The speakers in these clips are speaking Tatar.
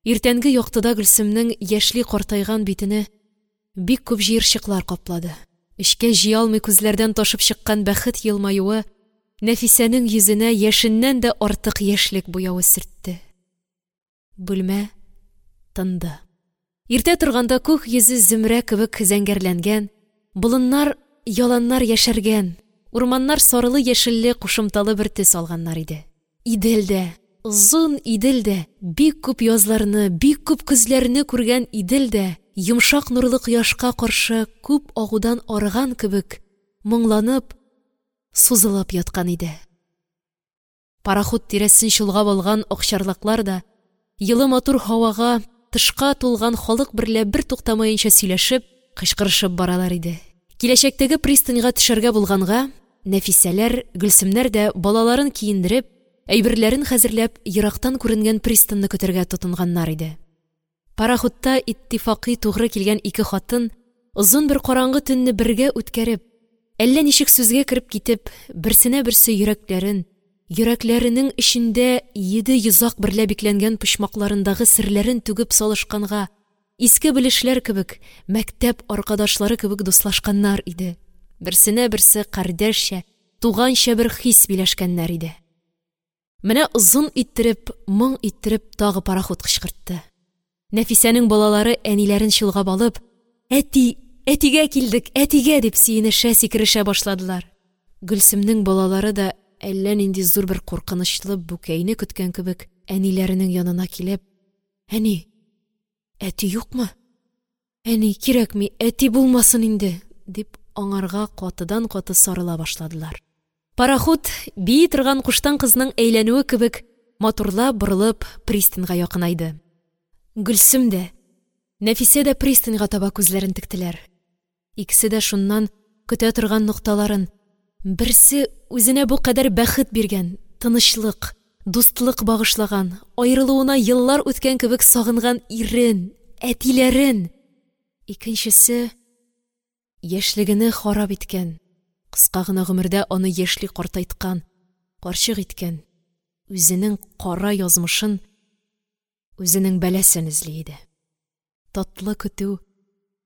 Иртәнге яктыда Гөлсемнең яшьли картайган битене бик күп җыерчыклар каплады. Эчкә җыя алмый күзләрдән ташып чыккан бәхет елмаюы Нәфисәнең йөзенә яшеннән дә артык яшьлек буявы сөртте. Бүлмә тынды. Иртә торганда күк йөзе зөмрә кебек зәңгәрләнгән, болыннар, яланнар яшәргән, урманнар сарылы-яшелле кушымталы бер төс алганнар иде. Идел дә, озын Идел дә, бик күп язларны, бик күп көзләрне күргән Идел дә, йомшак нурлы кояшка каршы күп агудан арыган кебек, моңланып, сузылып яткан иде. Пароход тирәсен чолгап алган акчарлаклар да, йылы матур һавага, тышка тулган халык берлә бертуктамаенча сөйләшеп, кычкырышып баралар иде. Киләчәктәге пристаньга төшәргә булганга, Нәфисәләр, Гөлсемнәр дә балаларын киендереп, әйберләрен хәзерләп, ерактан күренгән пристаньны көтәргә тотынганнар иде. Пароходта иттифакый тугры килгән ике хатын, озын бер караңгы төнне бергә үткәреп, әллә ничек сүзгә кереп китеп, берсенә берсе йөрәкләрен, йөрәкләренең эчендә йиде йозак берлә бикләнгән почмакларындагы серләрен түгеп салышканга, иске белешләр кебек, мәктәп аркадашлары кебек дуслашканнар иде. Берсенә берсе кардәшчә, туганча бер хис биләшкәннәр иде. Менә озын иттереп, моң иттереп тагы пароход кычкыртты. Нәфисәнең балалары әниләрен чолгап алып, «Әти, әтигә килдек, әтигә!» дип сөенешә, сикерешә башладылар. Гөлсемнең балалары да әллә нинди зур бер куркынычлы бүкәйне көткән кебек әниләренең янына килеп, «Әни, әти юкмы? Әни, кирәкми, әти булмасын инде!» дип аңарга катыдан-каты сарыла башладылар. Пароход, бии торган куштан кызның әйләнүе кебек, матурлап борылып, пристаньга якынайды. Гөлсем дә, Нәфисә дә пристаньга таба күзләрен тектеләр. Икесе дә шуннан көтә торган нокталарын, берсе үзенә бу кадәр бәхет биргән, тынычлык, дустлык багышлаган, аерылуына еллар үткән кебек сагынган ирен, әтиләрен, икенчесе яшьлегене харап иткән, кыска гына гомердә аны яшьли картайткан, карчык иткән, үзенең кара язмышын, үзенең бәласен эзли иде. Татлы көтү,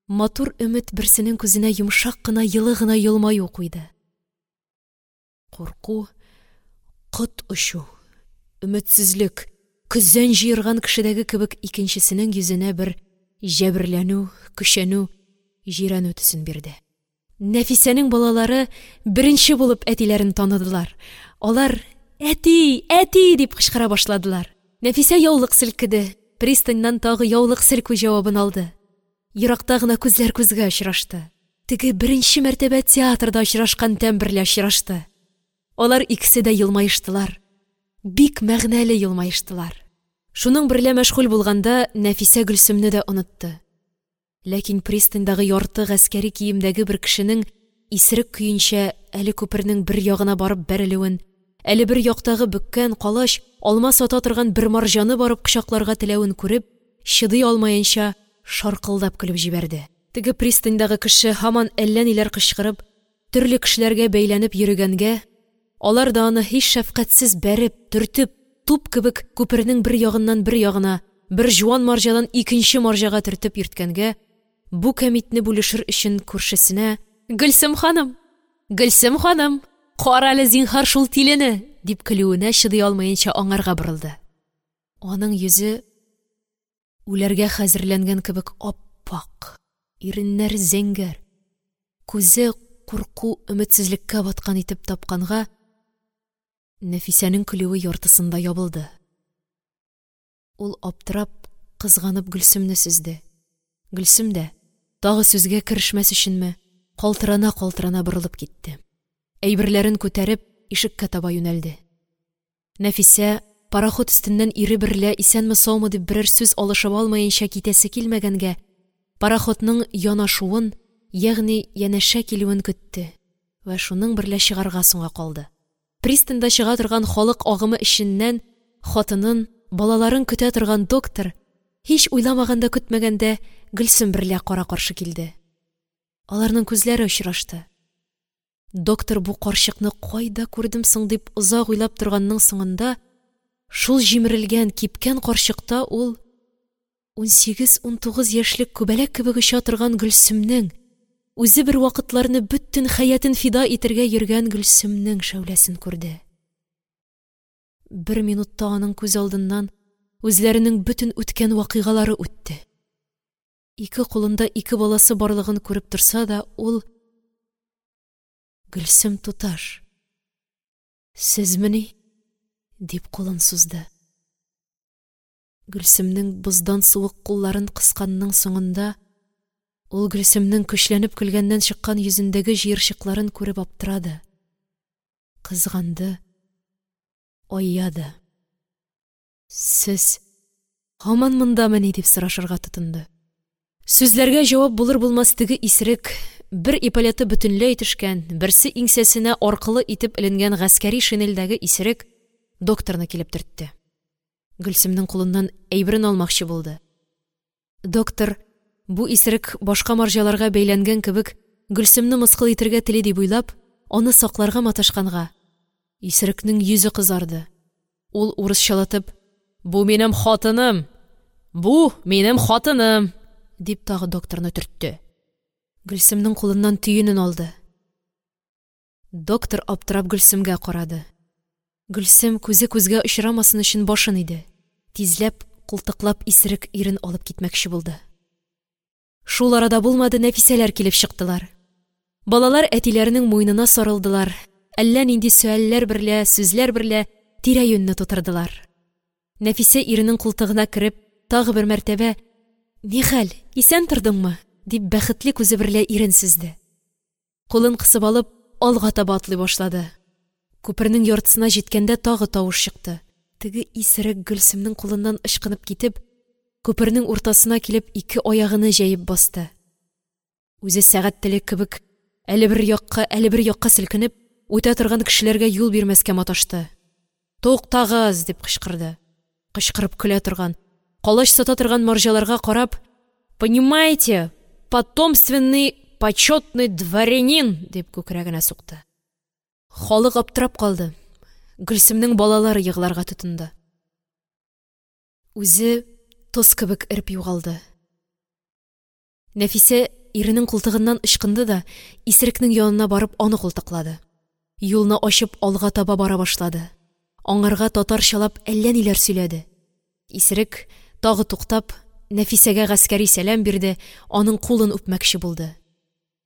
матур өмет берсенең күзенә йомшак кына, йылы гына елмаю куйды. Курку, кот очу, өметсезлек, көзән җыерган кешедәге кебек икенчесенең йөзенә бер җәберләнү, көчәнү, җирәнү төсен бирде. Нәфисәнең балалары беренче булып әтиләрен таныдылар. Алар «Әти! Әти!» дип кычкыра башладылар. Нәфисә яулык селкеде, пристаньнан тагы яулык селкү җавабын алды. Еракта гына күзләр күзгә очрашты. Теге беренче мәртәбә театрда очрашкан тәм берлә очрашты. Алар икесе дә елмаештылар. Бик мәгънәле елмаештылар. Шуның берлә мәшгуль булганда Нәфисә Гөлсемне дә онытты. Ләкин пристаньдагы ярты гаскәри киемдәге бер кешенең исерек көенчә әле күпернең бер ягына барып бәрелүен, әле бер яктагы бөккән, калач, алма сата торган бер марҗаны барып кочакларга теләвен күреп, чыдый алмаенча шаркылдап көлеп җибәрде. Теге пристаньдагы кеше һаман әллә ниләр кычкырып, төрле кешеләргә бәйләнеп йөрегәнгә, алар да аны һич шәфкатьсез бәреп, төртеп, туп кебек күпернең бер ягыннан бер ягына, бер җуан марҗадан икенче марҗага төртеп йөрткәнгә, бу кәмитне бүлешер өчен күршесенә «Гөлсем ханым! Гөлсем ханым! Карале, зинһар, шул тилене!» дип көлүенә чыдый алмаенча аңарга борылды. Аның йөзе үләргә хәзерләнгән кебек ап-ак, иреннәре зәңгәр, күзе курку, өметсезлеккә баткан итеп тапканга, Нәфисәнең көлүе яртысында ябылды. Ул аптырап, кызганып Гөлсемне сөзде. Гөлсем дә, тагы сүзгә керешмәс өченме, калтырана-калтырана борылып китте. Әйберләрен күтәреп, ишеккә таба юнәлде. Нәфисә, пароход өстеннән ире берлә исәнме-саумы дип берәр сүз алышып алмаенча китәсе килмәгәнгә, пароходның янашуын, ягъни янәшә килүен көтте вә шуның берлә чыгарга соңга калды. Пристаньда чыга торган халык агымы эченнән хатынын, балаларын көтә торган доктор, һич уйламаганда-көтмәгәндә, Гөлсем берлә кара-каршы килде. Аларның күзләре очрашты. Доктор бу карчыкны кайда күрдем соң дип озак уйлап торганның соңында, шул җимерелгән, кипкән карчыкта ул 18-19 яшьлек күбәләк кебек оча торган Гөлсемнең, үзе бер вакытларны бөтен хәятын фида итәргә йөргән Гөлсемнең шәүләсен күрде. Бер минутта аның күз алдыннан үзләренең бөтен үткән вакыйгалары үтте. Ике кулында ике баласы барлыгын күреп торса да, ул: «Гөлсем туташ, сезмени?» – дип кулын сузды. Гөлсемнең боздан суык кулларын кысканның соңында, ул Гөлсемнең көчләнеп көлгәннән чыккан йөзендәге җыерчыкларын күреп аптырады, кызганды, айады. «Сез һаман мондамыни?» – дип сорашырга тотынды. Сүзләргә җавап булыр-булмас теге исерек, бер эполеты бөтенләй төшкән, берсе иңсәсенә аркылы итеп эленгән гаскәри шинельдәге исерек докторны килеп төртте. Гөлсемнең кулыннан әйберен алмакчы булды. Доктор, бу исерек башка марҗаларга бәйләнгән кебек, Гөлсемне мыскыл итәргә тели дип уйлап, аны сакларга маташканга, исерекнең йөзе кызарды. Ул урысчалатып: «Бу минем хатыным! Бу минем хатыным!» – дип тагы докторны төртте. Гөлсемнең кулыннан төенен алды. Доктор аптырап Гөлсемгә карады. Гөлсем күзе күзгә очрамасын өчен башын иде. Тизләп, култыклап исерек ирен алып китмәкче булды. Шул арада булмады, Нәфисәләр килеп чыктылар. Балалар әтиләренең муенына сарылдылар, әллә нинди сөальләр берлә, сүзләр берлә тирә-юньне тутырдылар. Нәфисә иренең култыгына кереп, тагы бер мәртәбә: «Нихәл, исән тордыңмы?» – дип, бәхетле күзе берлә ирен сөзде. Кулын кысып алып, алга таба атлый башлады. Күпернең яртысына җиткәндә тагы тавыш чыкты. Теге исерек Гөлсемнең кулыннан ычкынып китеп, күпернең уртасына килеп, ике аягыны җәеп басты. Үзе сәгать теле кебек әле бер якка, әле бер якка селкенеп, үтә торган кешеләргә юл бирмәскә маташты. «Туктагыз!» – дип кычкырды. Кычкырып көлә торган, калач сата торган марҗаларга карап: «Понимаете, потомственный почетный дворянин!» – дип күкрәгенә сукты. Халык аптырап калды. Гөлсемнең балалары егыларга тотынды. Үзе тоз кебек эреп югалды. Нәфисә иренең култыгыннан ычкынды да, исерекнең янына барып, аны култыклады. Юлны ачып, алга таба бара башлады. Аңарга татарчалап әллә ниләр сөйләде. Исерек, тагы туктап, Нәфисәгә гаскәри сәлам бирде, аның кулын үпмәкче булды.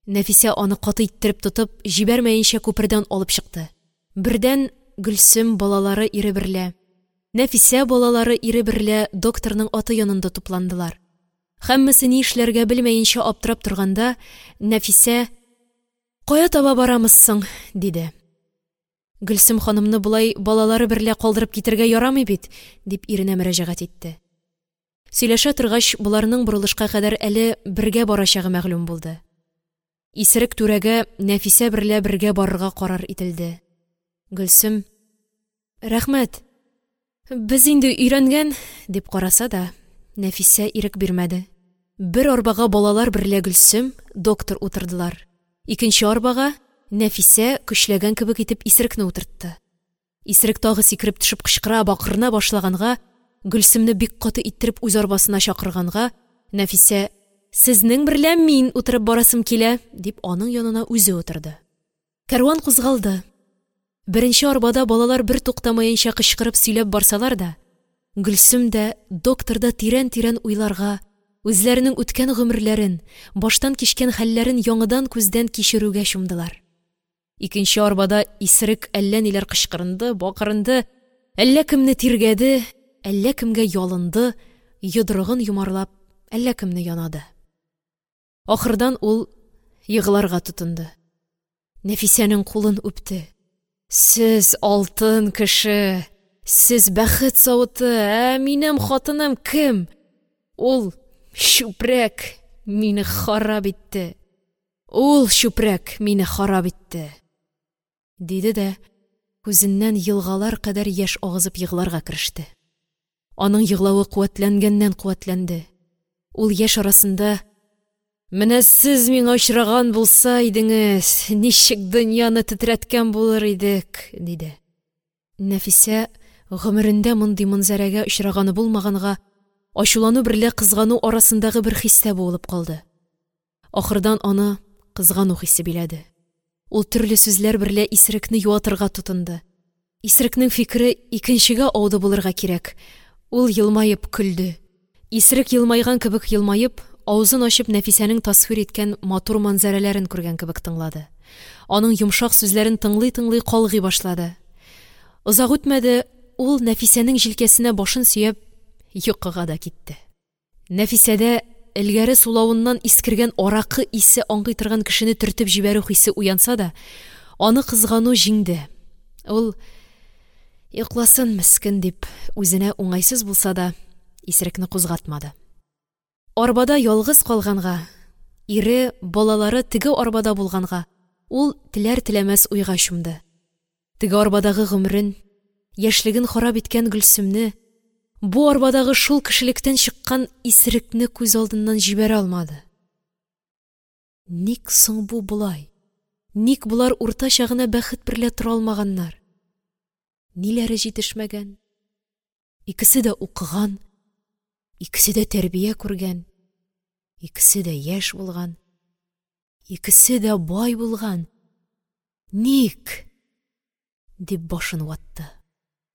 Нәфисә аны каты иттереп тотып, җибәрмәенчә күпердән алып чыкты. Бердән Гөлсем балалары ире берлә, Нәфисә балалары ире берлә докторның аты янында тупландылар. Һәммәсе ни эшләргә белмәенчә аптырап торганда, Нәфисә: «Кая таба барамыз соң?» – диде. «Гөлсем ханымны болай балалары берлә калдырып китәргә ярамый бит», – дип иренә мөрәҗәгать итте. Сөйләшә торгач, боларның борылышка кадәр әле бергә барачагы мәгълүм булды. Исерек түрәгә Нәфисә берлә бергә барырга карар ителде. Гөлсем: «Рәхмәт, без инде өйрәнгән», – дип караса да, Нәфисә ирек бирмәде. Бер арбага балалар берлә Гөлсем, доктор утырдылар. Икенче арбага Нәфисә көчләгән кебек итеп исерекне утыртты. Исерек тагы сикереп төшеп кычкыра, бакырына башлаганга, Гөлсемне бик каты иттереп үз арбасына чакырганга, Нәфисә: «Сезнең берлә мин утырып барасым килә», – дип, аның янына үзе утырды. Кәрван кузгалды. Беренче арбада балалар бер туктамаенча кычкырып сөйләп барсалар да, Гөлсем дә, доктор да тирән-тирән уйларга, үзләренең үткән гомерләрен, баштан кичкән хәлләрен яңадан күздән кичерүгә чумдылар. Икенче арбада исерек әллә ниләр кычкырынды, бакырынды, әллә кемне тиргәде, әллә кемгә ялынды, йодрыгын йомарлап, әллә кемне янады. Ахырдан ул егыларга тотынды. Нәфисәнең кулын үпте. «Сез алтын кеше, сез бәхет савыты, ә минем хатыным кем? Ул чүпрәк мине харап итте, ул чүпрәк мине харап итте», – диде дә күзеннән елгалар кадәр яшь агызып егыларга кереште. Аның егылавы куәтләнгәннән-куәтләнде. Ул яшь арасында: «Менә сез миңа очраган булса идеңез, ничек дөньяны тетрәткән булыр идек», – диде. Нәфисә, гомерендә мондый манзарәгә очраганы булмаганга, ачулану берлә кызгану арасындагы бер хистә буылып калды. Ахырдан аны кызгану хисе биләде. Ул төрле сүзләр берлә исерекне юатырга тотынды. Исерекнең фикере икенчегә ауды булырга кирәк. Ул елмаеп көлде. Исерек елмайган кебек елмаеп, авызын ачып Нәфисәнең тасвир иткән матур манзарәләрен күргән кебек тыңлады. Аның йомшак сүзләрен тыңлый-тыңлый калгый башлады. Озак үтмәде, ул Нәфисәнең җилкәсенә башын сөяп йокыга да китте. Нәфисәдә элгәре сулавыннан искергән аракы исе аңкый торган кешене төртеп җибәрү хисе уянса да, аны кызгану җиңде. Ул, йокласын мескен дип, үзенә уңайсыз булса да, исерекне кузгатмады. Арбада ялгыз калганга, ире, балалары теге арбада булганга, ул теләр-теләмәс уйга чумды. Теге арбадагы гомерен, яшьлеген харап иткән Гөлсемне, бу арбадагы шул кешелектән чыккан исерекне күз алдыннан җибәрә алмады. Ник соң бу болай? Ник болар уртача гына бәхет берлә тора алмаганнар? Ниләре җитешмәгән? Икесе дә укыган, икесе дә тәрбия күргән, икесе дә яшь булган, икесе дә бай булган. Ник? Дип башын ватты.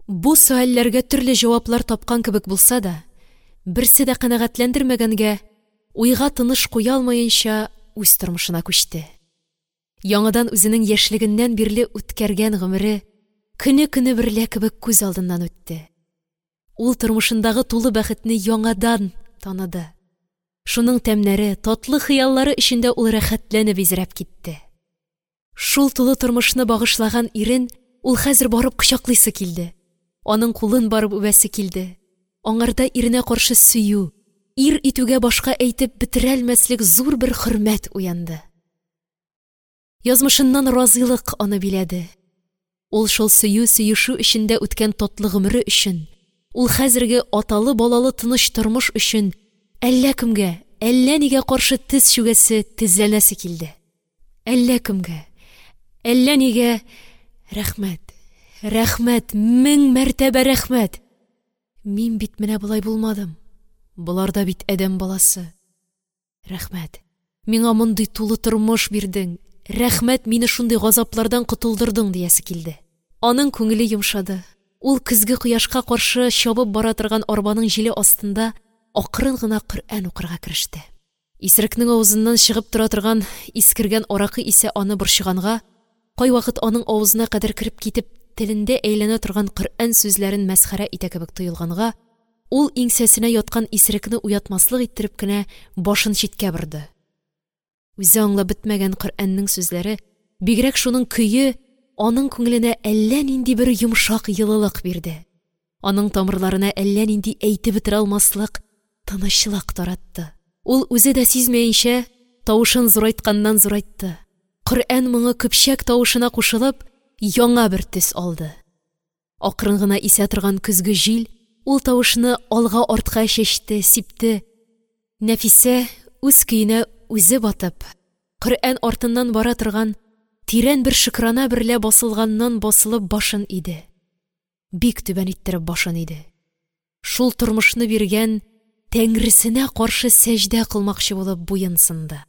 Бу сөальләргә төрле җаваплар тапкан кебек булса да, берсе дә канәгатьләндермәгәнгә, уйга тыныш куя алмаенча үз тормышына күчте. Яңадан үзенең яшьлегеннән бирле үткәргән гомере көне-көне берлә кебек күз алдыннан үтте. Ул тормышындагы тулы бәхетне яңадан таныды. Шуның тәмнәре, татлы хыяллары эчендә ул рәхәтләнеп изрәп китте. Шул тулы тормышны багышлаган ирен ул хәзер барып кочаклыйсы килде. Аның кулын барып үбәсе килде. Аңарда иренә каршы сөю, ир итүгә башка әйтеп бетерәлмәслек зур бер хөрмәт уянды. Язмышыннан разыйлык аны биләде. Ул шул сөю-сөешү эчендә үткән татлы гомере өчен, ул хәзерге аталы-балалы тыныч тормыш өчен әллә кемгә, әллә нигә каршы тез чүгәсе, тезләнәсе килде. Әллә кемгә, әллә нигә рәхмәт, рәхмәт, мең мәртәбә рәхмәт. Мин бит менә болай булмадым. Болар да бит адәм баласы. Рәхмәт, миңа мондый тулы тормыш бирдең. Рәхмәт, мине шундый газаплардан котылдырдың диясе килде. Аның күңеле йомшады. Ул көзге кояшка каршы чабып бара торган арбаның җиле астында акрын гына Коръән укырга кереште. Исерекнең авызыннан чыгып тора торган искергән аракы исе аны борчыганга, кайвакыт аның авызына кадәр кереп китеп, телендә әйләнә торган Коръән сүзләрен мәсхәрә итә кебек тоелганга, ул иңсәсенә яткан исерекне уятмаслык иттереп кенә башын читкә борды. Үзе аңлап бетмәгән Коръәннең сүзләре, бигрәк шуның көе аның күңеленә әллә нинди бер йомшак йылылык бирде. Аның тамырларына әллә нинди әйтеп бетерә алмаслык тынычлык таратты. Ул үзе дә сизмәенчә тавышын зурайтканнан зурайтты. Коръән моңы көпчәк тавышына кушылып, яңа бер төс алды. Акрын гына исә торган көзге җил ул тавышны алга-артка чәчте, сипте. Нәфисә үз көенә үзе батып, Коръән артыннан бара торган тирән бер шөкрана берлә басылганнан басылып башын иде. Бик түбән иттереп башын иде. Шул тормышны биргән Тәңресенә каршы сәҗдә кылмакчы булып буен сынды.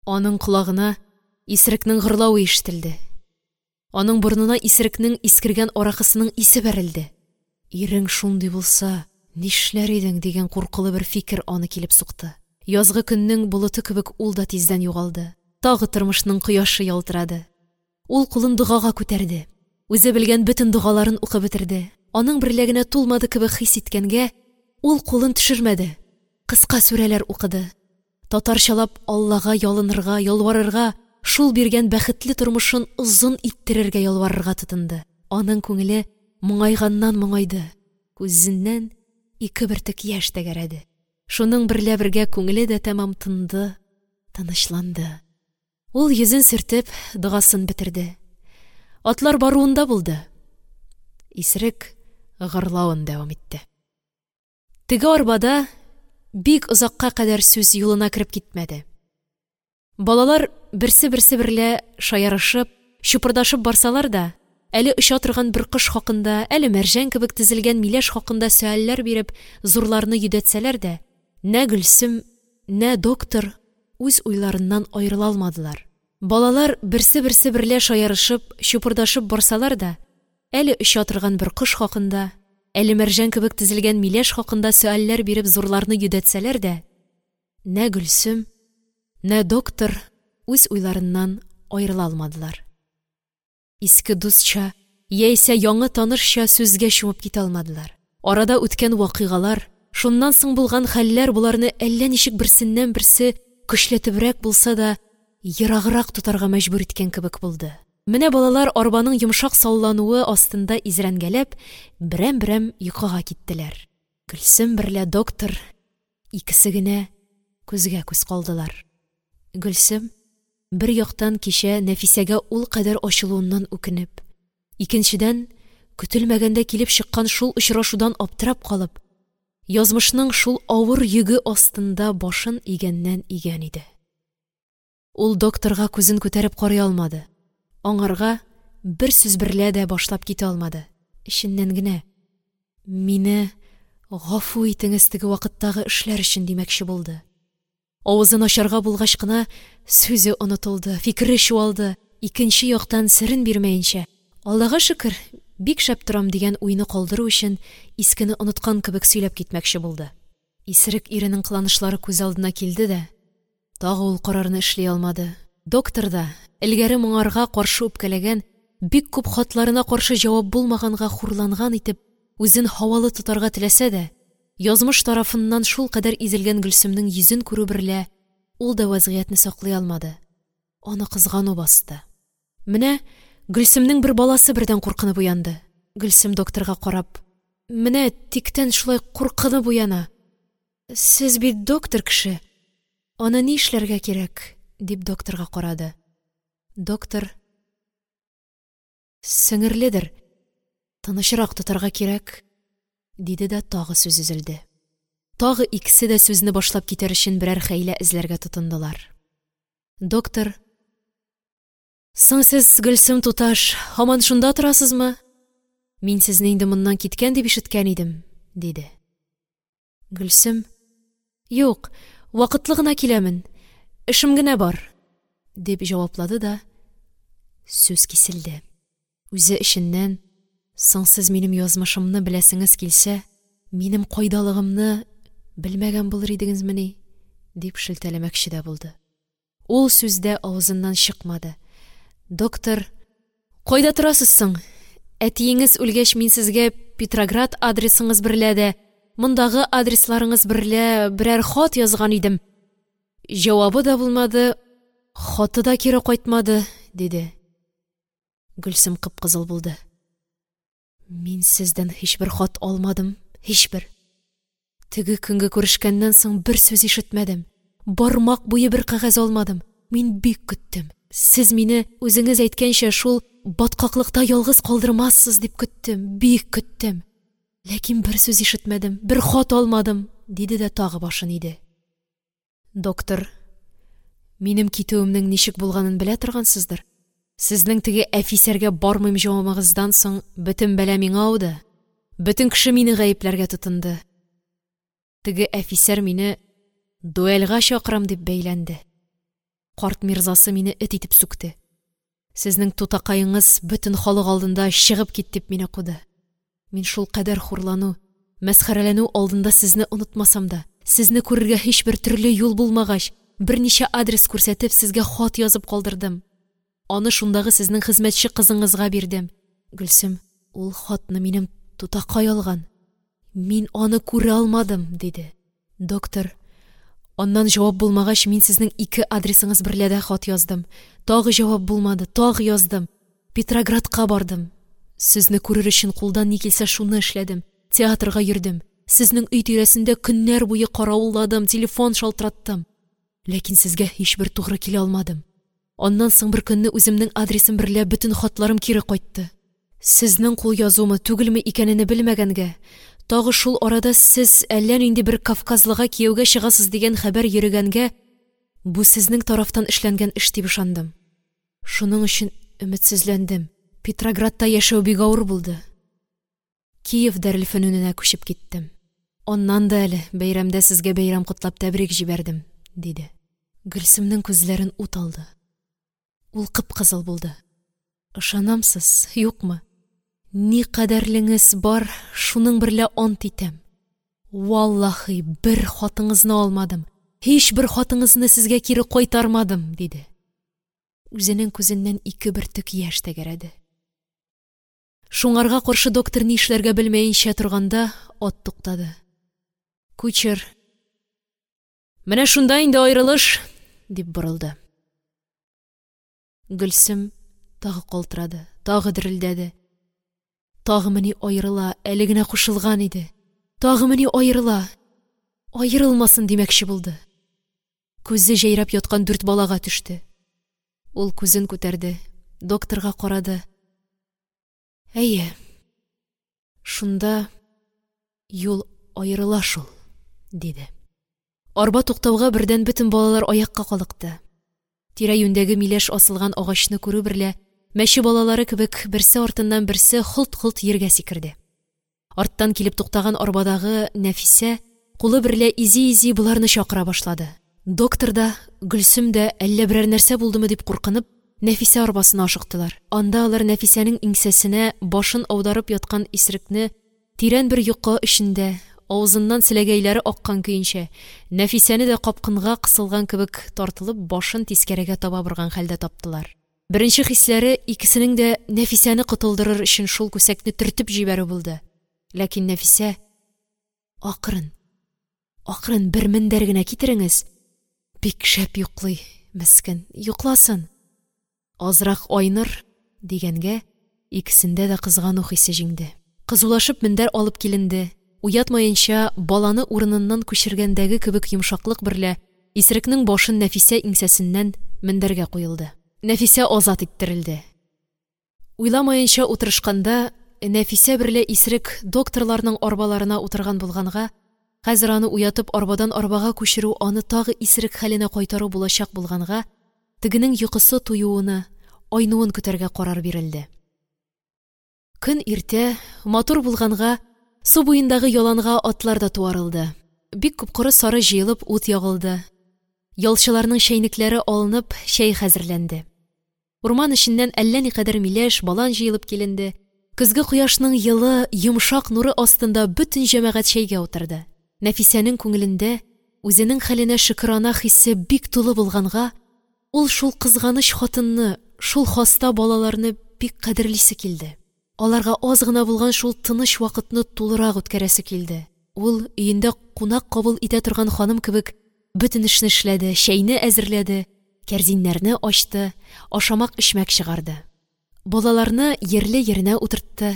Аның колагына исерекнең гырлавы ишетелде. Аның борынына исерекнең искергән аракысының исе бәрелде. Ирең шундый булса, нишләр идең дигән куркулы бер фикер аны килеп сукты. Язгы көннең болыты кебек ул да тиздән югалды. Тагы тормышның кояшы ялтырады. Ул кулын догага күтәрде. Үзе белгән бөтен догаларын укып бетерде. Аның берлә генә тулмады кебек хис иткәнгә, ул кулын төшермәде. Кыска сүрәләр укыды. Татарчалап Аллага ялынырга, ялварырга, шул биргән бәхетле тормышын озын иттерергә ялварырга тотынды. Аның күңеле моңайганнан моңайды. Күзеннән ике бөртек яшь тәгәрәде. Шуның берлә бергә күңеле дә тәмам тынды, тынычланды. Ул йөзен сөртеп, догасын бетерде. Атлар баруында булды. Исерек гырлавын дәвам итте. Теге арбада бик озакка кадәр сүз юлына кереп китмәде. Балалар берсе-берсе берлә шаярышып, чупырдашып барсалар да, әле оча торган бер кош хакында, әле мәрҗән кебек тезелгән миләш хакында сөальләр биреп, зурларны йөдәтсәләр дә, нә Гөлсем, нә доктор үз уйларыннан аерыла алмадылар. Балалар берсе-берсе берлә шаярышып, чупырдашып барсалар да, әле оча торган бер кош хакында, әле мәрҗән кебек тезелгән миләш хакында сөальләр биреп зурларны йөдәтсәләр дә, нә Гөлсем, нә доктор үз уйларыннан аерыла алмадылар. Иске дустча яисә яңы танышча сүзгә чумып китә алмадылар. Арада үткән вакыйгалар, шуннан соң булган хәлләр боларны әллә ничек берсеннән-берсе көчләтебрәк булса да ераграк тотарга мәҗбүр иткән кебек булды. Менә балалар арбаның йомшак саллануы астында изрәнгәләп, берәм-берәм йокыга киттеләр. Гөлсем берлә доктор икесе генә күзгә-күз калдылар. Гөлсем, бер яктан, кичә Нәфисәгә ул кадәр ачылуыннан үкенеп, икенчедән, көтелмәгәндә килеп чыккан шул очрашудан аптырап калып, язмышның шул авыр йөге астында башын игәннән-игән иде. Ул докторга күзен күтәреп карый алмады. Аңарга бер сүз берлә дә башлап китә алмады. Эченнән генә: «Мине гафу итеңез теге вакыттагы эшләр өчен», – димәкче булды. Авызын ачарга булгач кына сүзе онытылды, фикере чуалды. Икенче яктан серен бирмәенчә, Аллага шөкер, бик шәп торам дигән уйны калдыру өчен искене оныткан кебек сөйләп китмәкче булды. Исерек иренең кыланышлары күз алдына килде дә, тагы ул карарны эшли алмады. Доктор да элгәре моңарга каршы үпкәләгән, бик күп хатларына каршы җавап булмаганга хурланган итеп, үзен һавалы тотарга теләсә дә, язмыш тарафыннан шулкадәр изелгән Гөлсемнең йөзен күрү берлә ул да вәзгыятьне саклый алмады. Аны кызгану басты. Менә Гөлсемнең бер баласы бердән куркынып уянды. Гөлсем докторга карап: «Менә тиктән шулай куркынып уяна. Сез бит доктор кеше, аны ни эшләргә кирәк?» – дип докторга карады. Доктор: «Сеңерледер, тынычрак тотарга кирәк», – диде дә тагы сүз өзелде. Тагы икесе дә сүзне башлап китәр өчен берәр хәйлә эзләргә тотындылар. Доктор: «Соң сез, Гөлсем туташ, һаман шунда торасызмы? Мин сезне инде моннан киткән дип ишеткән идем», – диде. Гөлсем: «Юк, вакытлы гына киләмен, эшем генә бар», – дип җаваплады да сүз киселде. Үзе эченнән: «Соң сез минем язмышымны беләсеңез килсә, минем кайдалыгымны белмәгән булыр идегезмени?» – дип шелтәләмәкче дә булды. Ул сүз дә авызыннан чыкмады. Доктор: «Кайда торасыз соң? Әтиеңез үлгәч, мин сезгә Петроград адресыңыз берлә дә, мондагы адресларыңыз берлә берәр хат язган идем. Җавабы да булмады, хаты да кире кайтмады», – диде. Гөлсем кып-кызыл булды. «Мин сездән һичбер хат алмадым, һичбер. Теге көнге күрешкәннән соң бер сүз ишетмәдем. Бармак буе бер кәгазь алмадым. Мин бик көттем. Сез мине, үзеңез әйткәнчә, шул баткаклыкта ялгыз калдырмассыз дип көттем, бик көттем. Ләкин бер сүз ишетмәдем, бер хат алмадым», – диде дә тагы башын иде. Доктор: «Минем китүемнең ничек булганын белә торгансыздыр. Сезнең теге әфисәргә бармыйм җавабыгыздан соң бөтен бәла миңа ауды. Бөтен кеше мине гаепләргә тотынды. Теге әфисәр мине дуэльгә чакырам дип бәйләнде. Карт мирзасы мине эт итеп сүкте. Сезнең тутакаеңыз бөтен халык алдында чыгып кит дип мине куды. Мин шулкадәр хурлану, мәсхәрәләнү алдында сезне онытмасам да, сезне күрергә һичбер төрле юл булмагач, берничә адрес күрсәтеп, сезгә хат язып калдырдым. Аны шундагы сезнең хезмәтче кызыңызга бирдем. Гөлсем, ул хатны минем тутакай алган. Мин аны күрә алмадым», – диде. Доктор: «Аннан җавап булмагач, мин сезнең ике адресыңыз берлә дә хат яздым. Тагы җавап булмады, тагы яздым. Петроградка бардым. Сезне күрер өчен кулдан ни килсә шуны эшләдем. Театрга йөрдем. Сезнең өй тирәсендә көннәр буе каравылладым, телефон шалтыраттым. Ләкин сезгә һичбер тугры килә алмадым. Аннан соң бер көнне үземнең адресым берлә бөтен хатларым кире кайтты. Сезнең кул язумы, түгелме икәнене белмәгәнгә, тагы шул арада сез әллә нинди бер кавказлыга кияүгә чыгасыз дигән хәбәр йөрегәнгә, бу сезнең тарафтан эшләнгән эш дип ышандым. Шуның өчен өметсезләндем. Петроградта яшәү бик авыр булды. Киев дарелфөнүненә күчеп киттем. Аннан да әле бәйрәмдә сезгә бәйрәм котлап тәбрик җибәрдем, – диде. Гөлсемнең күзләрен ут алды. Ул кып-кызыл булды. Ышанамсыз, юкмы? Никадәрлеңез бар, шуның берлә ант итәм. Валлаһи, бер хатыңызны алмадым, һичбер хатыңызны сезгә кире кайтармадым, – диде. Үзенең күзеннән 2 бөртек яшь тәгәрәде. Шуңарга каршы доктор ни эшләргә белмәенчә торганда, ат туктады. Кучер: «Менә шунда инде аерылыш!» – дип борылды. Гөлсем тагы калтырады, тагы дерелдәде. Тагымыни аерыла, әле генә кушылган иде. Тагымыни аерыла, аерылмасын димәкче булды. Күзе җәйрәп яткан 4 балага төште. Ул күзен күтәрде, докторга карады. Әйе, шунда юл аерыла шул, диде. Арба туктауга бердән бөтен балалар аякка калыкты. Тирә-юньдәге миләш асылган агачны күрү берлә, мәче балалары кебек берсе артыннан берсе холт-холт ергә сикерде. Арттан килеп туктаган арбадагы Нәфисә кулы берлә изи-изи боларны чакыра башлады. Доктор да, Гөлсем дә әллә берәр нәрсә булдымы дип куркынып, Нәфисә арбасына ашыктылар. Анда алар Нәфисәнең иңсәсенә башын аударып яткан исерекне тирән бер йокы эчендә, авызыннан селәгәйләре аккан көенчә, Нәфисәне дә капкынга кысылган кебек тартылып, башын тискәрегә таба борган хәлдә таптылар. Беренче хисләре икесенең дә Нәфисәне котылдырыр өчен шул күсәкне төртеп җибәрү булды. Ләкин Нәфисә: «Акрын, акрын, бер мендәр генә китереңез. Бик шәп йоклый, мескен, йокласын. Азрак айныр», дигәнгә икесендә дә кызгану хисе җиңде. Кызулашып мендәр алып киленде. Уятмаенча баланы урыныннан күчергәндәге кебек йомшаклык берлә исерекнең башын Нәфисә иңсәсеннән мендәргә куелды. Нәфисә азат иттерелде. Уйламаенча утырышканда Нәфисә берлә исерек докторларның арбаларына утырган булганга, хәзер аны уятып арбадан арбага күчерү аны тагы исерек хәленә кайтару булачак булганга, тегенең йокысы туюыны, айнуын көтәргә карар бирелде. Көн иртә, матур булганга, су буендагы яланга атлар да туарылды. Бик күп коры сары җыелып ут ягылды. Ялчыларның чәйнекләре алынып, чәй хәзерләнде. Урман эченнән әллә никадәр миләш, балан җыелып киленде. Көзге кояшның йылы, йомшак нуры астында бөтен җәмәгать чәйгә утырды. Нәфисәнең күңелендә үзенең хәленә шөкерана хисе бик тулы булганга, ул шул кызганыч хатынны, шул хаста балаларны бик кадерлисе килде. Аларга аз гына булган шул тыныч вакытны тулырак үткәрәсе килде. Ул өендә кунак кабул итә торган ханым кебек бөтен эшне эшләде, чәйне әзерләде, кәрзиннәрне ачты, ашамак-эчмәк чыгарды. Балаларны ерле-еренә утыртты,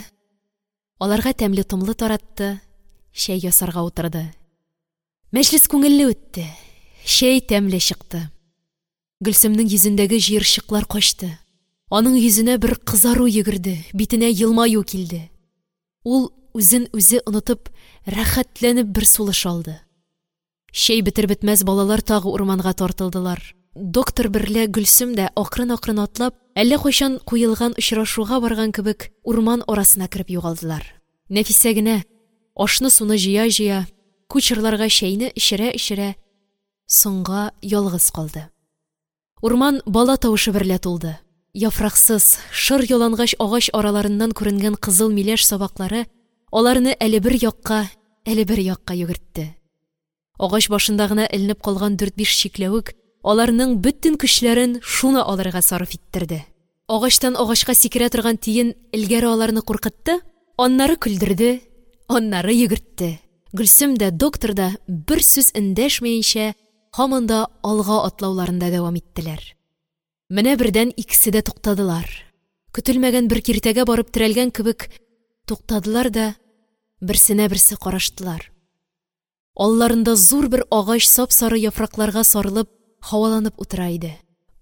аларга тәмле-томлы таратты, чәй ясарга утырды. Мәҗлес күңелле үтте, чәй тәмле чыкты. Гөлсемнең йөзендәге җыерчыклар качты. Аның йөзенә бер кызару йөгерде, битенә елмаю килде. Ул үзен үзе онытып, рәхәтләнеп бер сулыш алды. Чәй бетер-бетмәс балалар тагы урманга тартылдылар. Доктор берлә Гөлсем дә акрын-акрын атлап, әллә кайчан куелган очрашуга барган кебек урман арасына кереп югалдылар. Нәфисә генә ашны-суны җыя-җыя, кучерларга чәйне эчерә-эчерә соңга ялгыз калды. Урман бала тавышы берлә тулды. Яфраксыз, шыр ялангач агач араларыннан күренгән кызыл миләш сабаклары аларны әле бер якка, әле бер якка йөгертте. Агач башында гына эленеп калган 4-5 чикләвек аларның бөтен көчләрен шуны алырга сарыф иттерде. Агачтан агачка сикерә торган тиен элгәре аларны куркытты, аннары көлдерде, аннары йөгертте. Гөлсем дә, доктор да бер сүз эндәшмәенчә һаман да алга атлауларында дәвам иттеләр. Менә бердән икесе дә туктадылар. Көтелмәгән бер киртәгә барып терәлгән кебек туктадылар да берсенә берсе караштылар. Алларында зур бер агач сап-сары яфракларга сарылып, һаваланып утыра иде.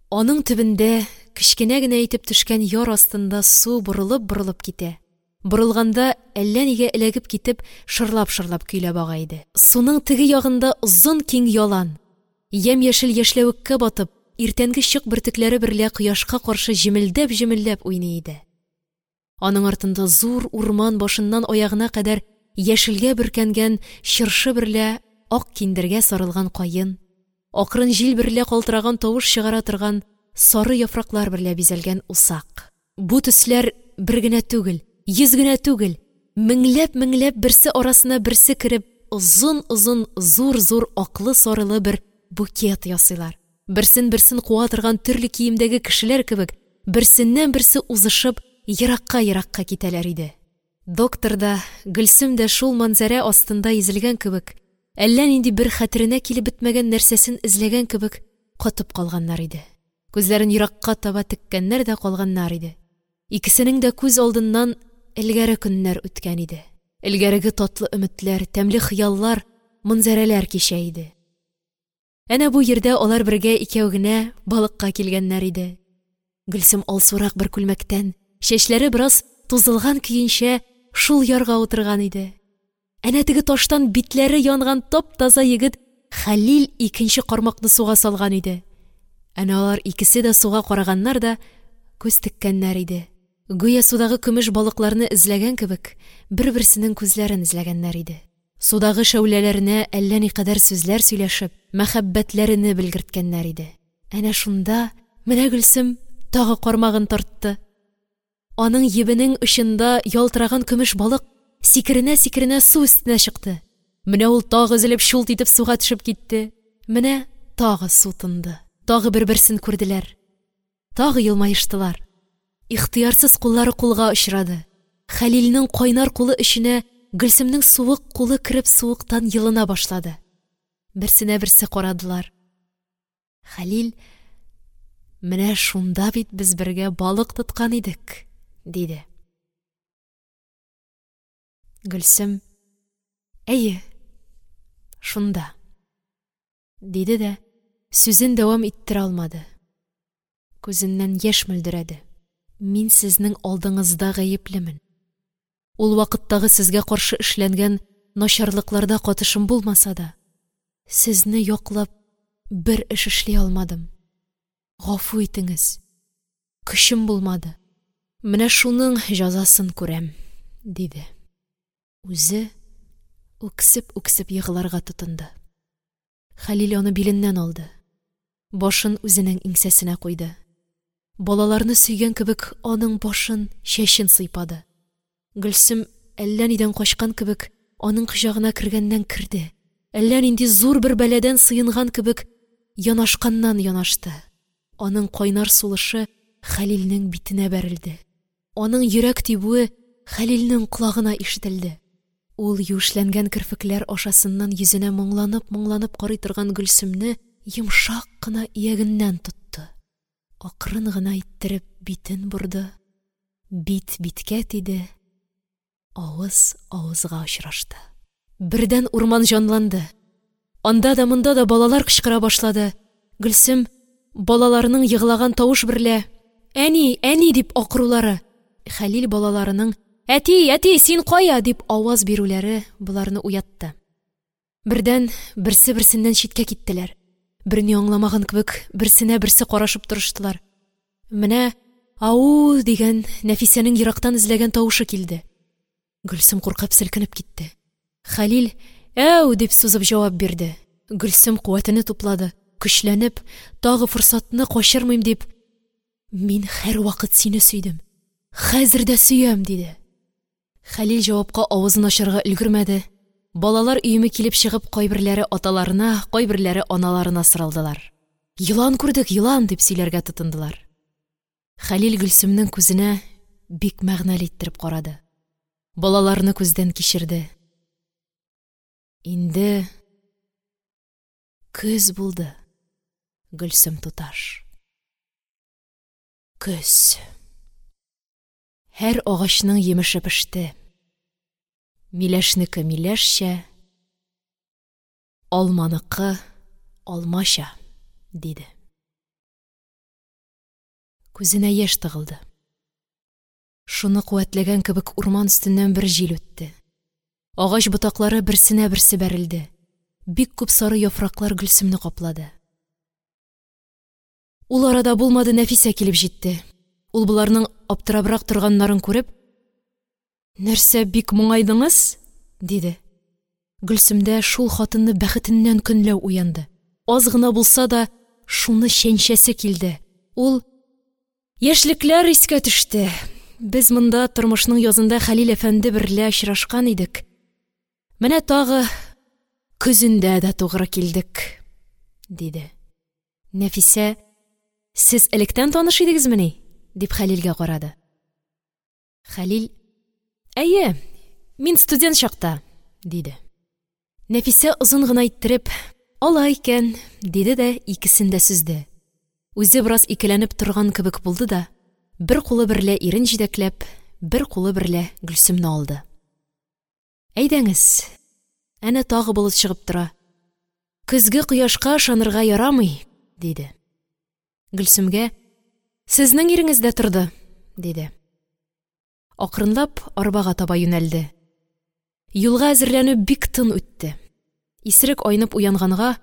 Аның төбендә кечкенә генә итеп төшкән яр астында су борылып-борылып китә. Борылганда әллә нигә эләгеп китеп, шырлап-шырлап көйләп ага иде. Суның теге ягында озын киң ялан, ямь-яшел яшьләвеккә батып, иртәнге чык бөртекләре берлә кояшка каршы җемелдәп-җемелдәп уйный иде. Аның артында зур урман башыннан аягына кадәр яшелгә бөркәнгән чыршы берлә ак киндергә сарылган каен, акрын җил берлә калтыраган тавыш чыгара торган сары яфраклар берлә бизәлгән усак. Бу төсләр бер генә түгел, йөз генә түгел, меңләп-меңләп берсе арасына берсе кереп, озын-озын, зур-зур аклы-сарылы бер букет ясыйлар. Берсен-берсен куа торган төрле киемдәге кешеләр кебек, берсеннән-берсе узышып, еракка-еракка китәләр иде. Доктор да, Гөлсем дә шул манзарә астында изелгән кебек, әллә нинди бер хәтеренә килеп бетмәгән нәрсәсен эзләгән кебек катып калганнар иде. Күзләрен еракка таба теккәннәр дә калганнар иде. Икесенең дә күз алдыннан элгәре көннәр үткән иде. Элгәреге татлы өметләр, тәмле хыяллар, манзарәләр кичә иде. Әнә бу йирдә алар бергә икәү генә балыкка килгәннәр иде. Гөлсем алсурак бер күлмәктән, чәчләре бераз тузылган көенчә шул ярга утырган иде. Әнә теге таштан битләре янган тап-таза егет Хәлил икенче кармакны суга салган иде. Әнә алар икесе дә суга караганнар да күз теккәннәр иде. Гүя судагы көмеш балыкларны эзләгән кебек, бер-берсенең күзләрен эзләгәннәр иде. Судагы шәүләләренә әллә никадәр сүзләр сөйләшеп, мәхәббәтләрене белгерткәннәр иде. Әнә шунда менә Гөлсем тагы кармагын тартты. Аның ебенең очында ялтыраган көмеш балык сикеренә-сикеренә су өстенә чыкты. Менә ул тагы өзелеп чулт итеп суга төшеп китте. Менә тагы су тынды. Тагы бер-берсен күрделәр. Тагы елмаештылар. Ихтыярсыз куллары кулга очрады. Хәлилнең кайнар кулы эченә Гөлсемнең суык кулы кереп суыктан йылына башлады. Берсенә берсе карадылар. Хәлил: «Менә шунда бит без бергә балык тоткан идек», – диде. Гөлсем: «Әйе, шунда», – диде дә сүзен дәвам иттерә алмады. Күзеннән яшь мөлдерәде. «Мин сезнең алдыңызда гаеплемен. Ул вакыттагы сезгә каршы эшләнгән начарлыкларда катышым булмаса да, сезне яклап бер эш эшли алмадым. Гафу итеңез, көчем булмады. Менә шуның җәзасын күрәм», – диде. Үзе үксеп-үксеп егыларга тотынды. Хәлил аны биленнән алды. Башын үзенең иңсәсенә куйды. Балаларны сөйгән кебек аның башын, чәчен сыйпады. Гөлсем әллә нидән качкан кебек аның кочагына кергәннән керде. Әллә нинди зур бер бәладән сыенган кебек янашканнан янашты. Аның кайнар сулышы Хәлилнең битенә бәрелде. Аның йөрәк тибүе Хәлилнең колагына ишетелде. Ул юешләнгән керфекләр ашасыннан йөзенә моңланып-моңланып карый торган Гөлсемне йомшак кына иягеннән тотты. Акрын гына иттереп битен борды, бит биткә тиде, авыз авызга очрашты. Бердән урман җанланды. Анда да монда да балалар кычкыра башлады. Гөлсем балаларының егылаган тавыш берлә «Әни, әни!» дип акырулары, Хәлил балаларының «Әти, әти, син кая?» дип аваз бирүләре боларны уятты. Бердән берсе-берсеннән читкә киттеләр. Берни аңламаган кебек берсенә берсе карашып торыштылар. Менә «Ау!» дигән Нәфисәнең ерактан эзләгән тавышы килде. Гөлсем куркып селкенеп китте. Хәлил «Әү!» дип сузып җавап бирде. Гөлсем куәтене туплады, көчләнеп, тагы форсатны качырмыйм дип: «Мин һәрвакыт сине сөйдем, хәзер дә сөям», – диде. Хәлил җавапка авызын ачарга өлгермәде. Балалар өеме килеп чыгып, кайберләре аталарына, кайберләре аналарына сарылдылар. «Елан күрдек, елан!» дип сөйләргә тотындылар. Хәлил Гөлсемнең күзенә бик мәгънәле иттереп карады. Балаларны күздән кичерде. Инде көз булды, Гөлсем туташ. Көз. Һәр агачның йимеше пеште. Миләшнеке миләшчә, алманыкы алмача, диде. Күзенә яшь тыгылды. Шуны куәтләгән кебек урман өстеннән бер җил үтте. Агач ботаклары берсенә берсе бәрелде. Бик күп сары яфраклар Гөлсемне каплады. Ул арада булмады, Нәфисә килеп җитте. Ул боларның аптырабрак торганнарын күреп, Нәрсә бик моңайдыңыз? – диде. Гөлсемдә шул хатынны бәхетеннән көнләү уянды. Аз гына булса да шуны чәнчәсе килде. Ул: «Яшьлекләр искә төште. Без монда тормышның язында Хәлил әфәнде берлә очрашкан идек. Менә тагы көзендә дә тугры килдек», – диде. Нәфисә: «Сез электән таныш идегезмени?» – дип, Хәлилгә карады. Хәлил: «Әйе, мин студент чакта», – диде. Нәфисә озын гына иттереп: «Алай икән», – диде дә икесен дә сөзде. Үзе бераз икеләнеп торган кебек булды да, бер кулы берлә ирен җитәкләп, бер кулы берлә Гөлсемне алды. «Әйдәңез, әнә тагы болыт чыгып тора. Көзге кояшка ышанырга ярамый», – диде. Гөлсемгә: «Сезнең иреңез дә торды», – диде. Акрынлап арбага таба юнәлде. Юлга әзерләнү бик тын үтте. Исерек айнып уянганга,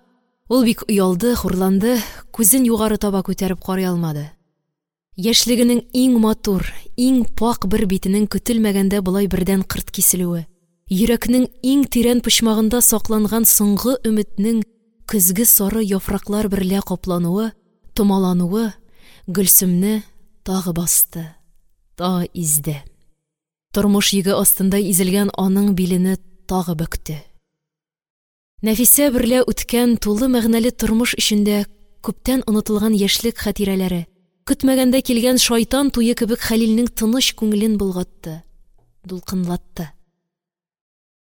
ул бик оялды, хурланды, күзен югары таба күтәреп карый алмады. Яшьлегенең иң матур, иң пакь бер битенең көтелмәгәндә болай бердән кырт киселүе, йөрәкнең иң тирән почмагында сакланган соңгы өметнең көзге сары яфраклар берлә каплануы, томалануы Гөлсемне тагы басты, тагы изде. Тормыш йөге астында изелгән аның билене тагы бөкте. Нәфисә берлә үткән тулы мәгънәле тормыш эчендә күптән онытылган яшьлек хатирәләре, көтмәгәндә килгән шайтан туе кебек Хәлилнең тыныч күңелен болгатты, дулкынлатты.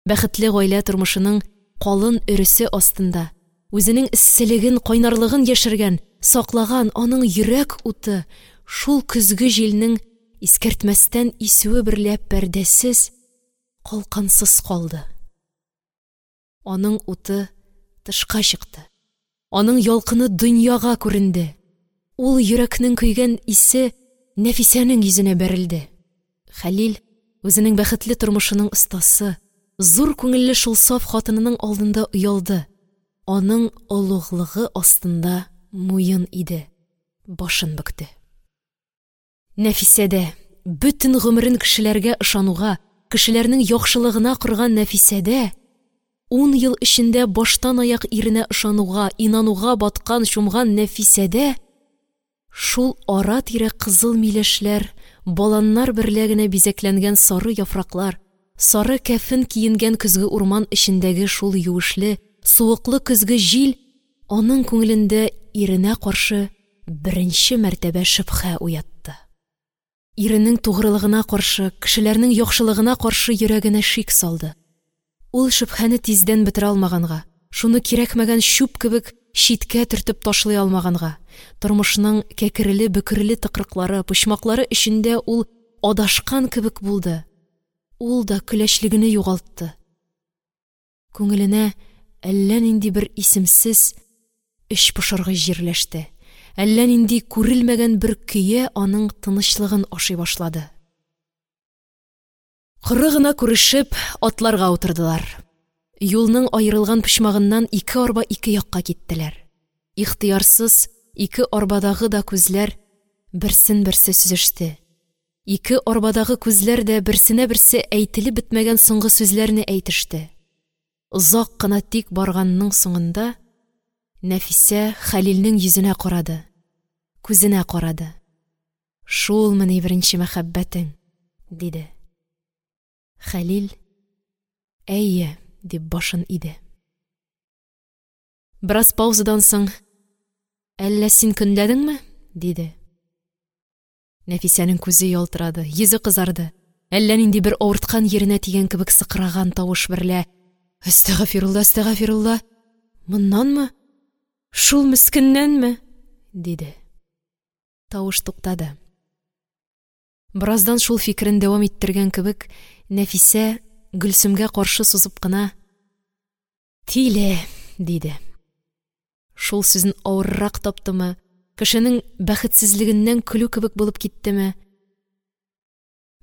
Бәхетле гаилә тормышының калын өресе астында үзенең эсселеген, кайнарлыгын яшергән, саклаган аның йөрәк уты шул көзге җилнең искәртмәстән исүе берлә пәрдәсез, калкансыз калды. Аның уты тышка чыкты. Аның ялкыны дөньяга күренде. Ул йөрәкнең көйгән исе Нәфисәнең йөзенә бәрелде. Хәлил үзенең бәхетле тормышының остасы, зур күңелле шул саф хатынының алдында оялды. Аның олуглыгы астында муен иде, башын бөкте. Нәфисә дә, бөтен гомерен кешеләргә ышануга, кешеләрнең яхшылыгына корган Нәфисә дә, 10 ел эчендә баштан аяк иренә ышануга, инануга баткан, чумган Нәфисә дә шул ара-тирә кызыл миләшләр, баланнар берлә генә бизәкләнгән сары яфраклар, сары кәфен киенгән көзге урман эчендәге шул юешле, суыклы көзге җил аның күңелендә иренә каршы беренче мәртәбә шөбһә уятты. Иренең тугрылыгына каршы, кешеләрнең яхшылыгына каршы йөрәгенә шик салды. Ул шөбһәне тиздән бетерә алмаганга, шуны кирәкмәгән чүп кебек читкә төртеп ташлый алмаганга, тормышның кәкреле-бөкреле тыкрыклары, почмаклары эчендә ул адашкан кебек булды. Ул да көләчлегене югалтты. Күңеленә әллә нинди бер исемсез эчпошыргыч җирләште. Әллә нинди күрелмәгән бер көе аның тынычлыгын ашый башлады. Коры гына күрешеп, атларга утырдылар. Юлның аерылган почмагыннан ике арба ике якка киттеләр. Ихтыярсыз ике арбадагы да күзләр берсен-берсе сөзеште. Ике арбадагы күзләр дә берсенә берсе әйтелеп бетмәгән соңгы сүзләрне әйтеште. Озак кына тик барганның соңында Нәфисә Хәлилнең йөзенә карады, күзенә карады. «Шулмыни беренче мәхәббәтең?» – диде. Хәлил: «Әйе», – дип башын иде. Бераз паузадан соң: «Әллә син көнләдеңме?» – диде. Нәфисәнең күзе ялтырады, йөзе кызарды. Әллә нинди бер авырткан еренә тигән кебек сыкраган тавыш берлә: «Әстәгъфирулла, әстәгъфирулла! Моннанмы? Шул мескеннәнме?» – диде. Тавыш туктады. Бераздан шул фикерен дәвам иттергән кебек, Нәфисә Гөлсемгә каршы сузып кына: «Тиле!» – диде. Шул сүзен авыррак таптымы, кешенең бәхетсезлегеннән көлү кебек булып киттеме?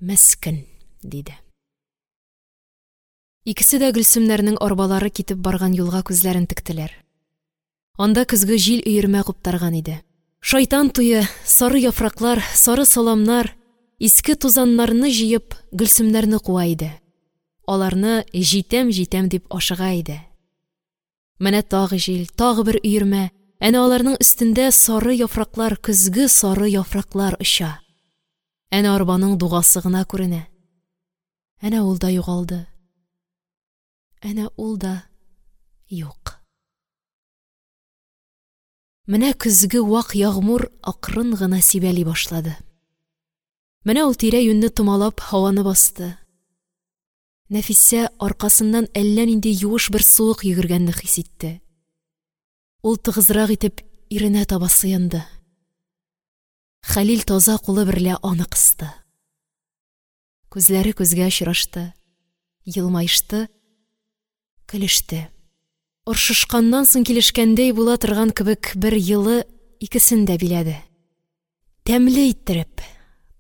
«Мескен!» – диде. Икесе дә Гөлсемнәрнең арбалары китеп барган юлга күзләрен тектеләр. Анда көзге җил өермә куптарган иде. Шайтан туе, сары яфраклар, сары саламнар, Иске тузаннарны җыеп, Гөлсемнәрне куа иде. Аларны җитәм-җитәм дип ашыга иде. Менә тагы җил, тагы бер өермә, әнә аларның өстендә сары яфраклар, көзге сары яфраклар оча. Әнә арбаның дугасы гына күренә. Әнә ул да югалды. Әнә ул да юк. Менә көзге вак ягъмур акрын гына сибәли башлады. Менә ул тирә-юньне томалап һаваны басты. Нәфисә аркасыннан әллә нинди юеш бер суык йөгергәнне хис итте. Ул тыгызрак итеп иренә таба сыенды. Хәлил таза кулы берлә аны кысты. Күзләре күзгә очрашты, елмаешты, көлеште. Оршышканнан соң килешкәндәй була торган кебек бер елы икесен дә биләде. Тәмле иттереп,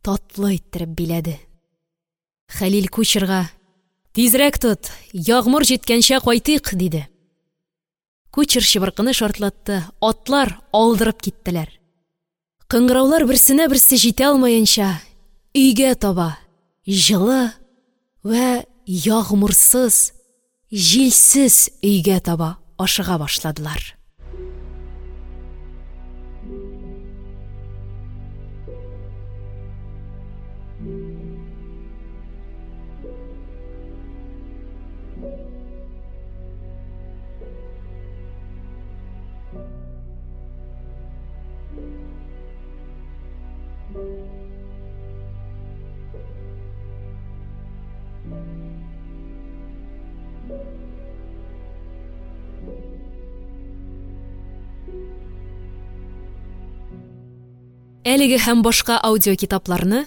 татлы иттереп биләде. Хәлил кучерга: «Тизрәк тот, ягъмур җиткәнчә кайтыйк», – диде. Кучер чыбыркыны шартлатты, атлар алдырып киттеләр. Кыңгыраулар берсенә берсе җитә алмаенча, өйгә таба, җылы вә ягъмурсыз, җилсез өйгә таба ашыга башладылар. Әлеге һәм башка аудиокитапларны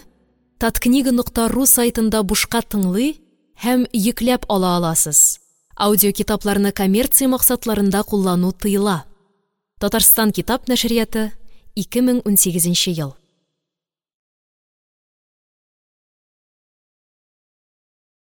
таткнига нокта ру сайтында бушка тыңлый һәм йөкләп ала аласыз. Аудиокитапларны коммерция максатларында куллану тыела. Татарстан китап нәшрияты, 2018 ел.